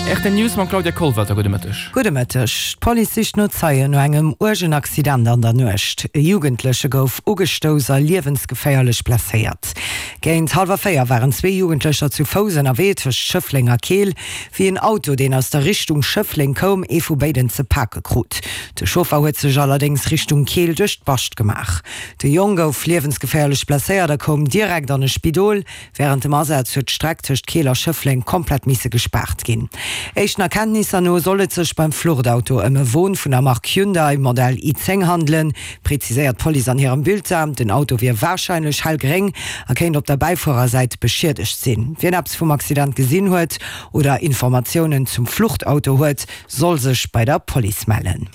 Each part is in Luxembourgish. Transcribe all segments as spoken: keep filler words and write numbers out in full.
Rtl News mam Claudia Kollwelter, Gudde Mëtteg. Gudde Mëtteg. D'Police sicht no Zeien no engem uergen Accident an der Nuecht. E Jugendleche gouf ugestouss a liewensgeféierlech blesséiert. Géint hallwer véier waren zwee Jugendlecher zu Fouss ënnerwee tëscht Schëffleng a Keel, wéi en Auto, deen aus der Richtung Schëffleng koum, ee vu béiden ze pake krut. De Chauffer huet sech allerdéngs Richtung Keel duerch d'Bascht gemaach. De Jong gouf liewensgeféierlech blesséiert a koum direkt an e Spidol. Wärend dem Asaz huet d'Streck tëscht Keel a Schëffleng komplett misse gespaart ginn. Éischten Erkenntnisser no soll et sech beim Fluchtauto ëm e Won vun der Mark Hyundai, Modell i zéng handelen, preziséiert d'Police an hirem Bulletin. Den Auto wier warscheinlech hellgréng a kéint op der Bäifuerersäit beschiedegt sinn. Wien eppes vum Accident gesinn huet oder Informatiounen zum Fluchtauto huet, soll sech bei der Police mellen.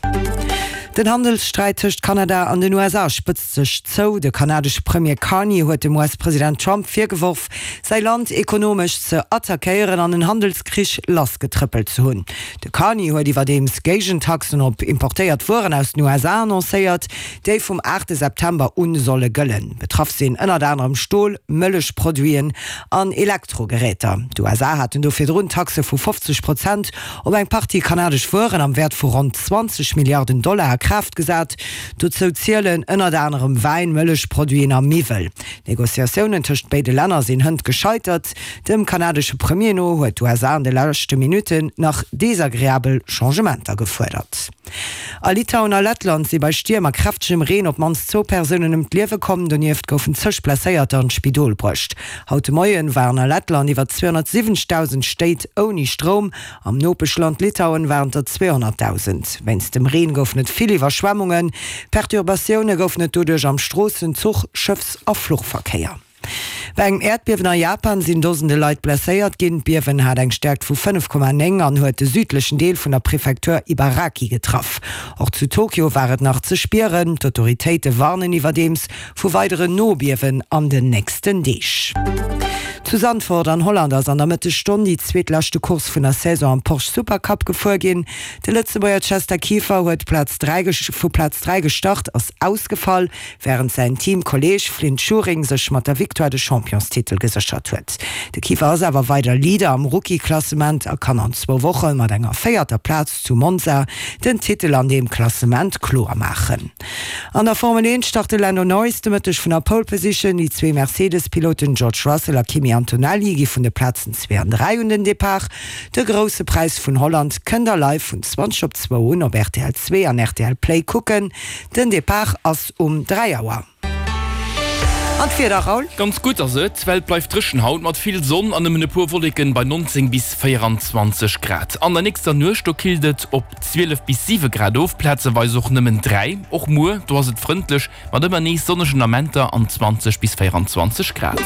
Den Handelssträit tëscht Kanada an den U S A spëtzt sech zou. De kanadesche Premier Carney huet dem U S-President Trump virgeworf, säi Land ekonomesch ze attackéieren an en Handelskrich lassgetrëppelt ze hunn. De Carney huet iwwerdeems Géigentaxen op importéiert Wueren aus den U S A annoncéiert, déi vum aachte September un solle gëllen. Betraff sinn ënnert anerem Stol, Mëllechproduiten an Elektrogeräter. D'U S A haten do virdrun Taxe vu fofzeg Prozent op eng Partie kanadesch Wueren am Wäert vu ronn zwanzeg Milliarden Dollar a Kraaft gesat. Dozou zielen ënnert anerem Wäin, Mëllechproduiten a Miwwel. D'Negociatiounen tëscht béide Länner sinn hënt gescheitert. Dem kanadesche Premier no huet d'U S A an de leschte Minutten nach desagreabel Changementer gefuerdert. A Litauen a Lettland si bei Stierm a kräftegem Reen op d'mannst zwou Persounen ëm d'Liewe komm. Donieft goufen zeg Blesséierter an d'Spidol bruecht. Haut de Moien waren a Lettland iwwer zweehonnertsiwwenzegdausend Stéit ouni Stroum. Am Nopeschland Litauen waren der zweehonnertdausend. Wéinst dem Reen goufen et vill Iwwerschwemmungen. Perturbatioune goufen et doduerch am Stroossen-, Zuch-, Schëffs a Fluchverkéier. Bei engem Äerdbiewen a Japan sinn Dosende Leit blesséiert ginn. D'Biewen hat eng Stäerkt vu fënnef Komma néng an huet de südlechen Deel vun der Prefektur Ibaraki getraff. Och zu Tokio war et nach ze spieren. D'Autoritéite warnen iwwerdeems vu weideren Nobiewen an den nächsten Deeg. Zu Zandvoort an Holland ass an der Mëttesstonn déi zweetleschte Course vun der Saison am Porsche Supercup gefuer ginn. De Lëtzebuerger Chester Kieffer huet Plaz dräi vu Plaz dräi gestart, ass ausgefall, wärend säin Teamkolleeg Flynt Schuring sech mat der Victoire de Championstitel geséchert huet. De Kieffer ass awer weider Leader am Rookie-Klassement a kann an zwou Woche mat enger véierter Plaz zu Monza den Titel an deem Klassement kloer maachen. An der Formel eent start de Lando Norris de Mëtteg vun der Pole Position. Déi zwee Mercedes-Piloten George Russell a Kimi Antonelli gi vun de Plazen zwee an dräi un den Depart. De Grousse Präis vun Holland kënnt der live vun zwanzeg op zwou un op R T L zwee an R T L Play kucken. Den Depart ass um dräi Auer. An d'Wieder, Raoul? Ganz gutt ass et. D'Welt bleift dréchen haut mat vill Sonn an nëmmen e puer Wolleken bei neunzéng bis véieranzwanzeg Grad. An der nächster Nuecht do killt et op zwielef bis siwe Grad of, plazeweis och nëmmen dräi. Och muer, do ass et frëndlech mat ëmmer nees sonnegen Amenter an zwanzeg bis véieranzwanzeg Grad.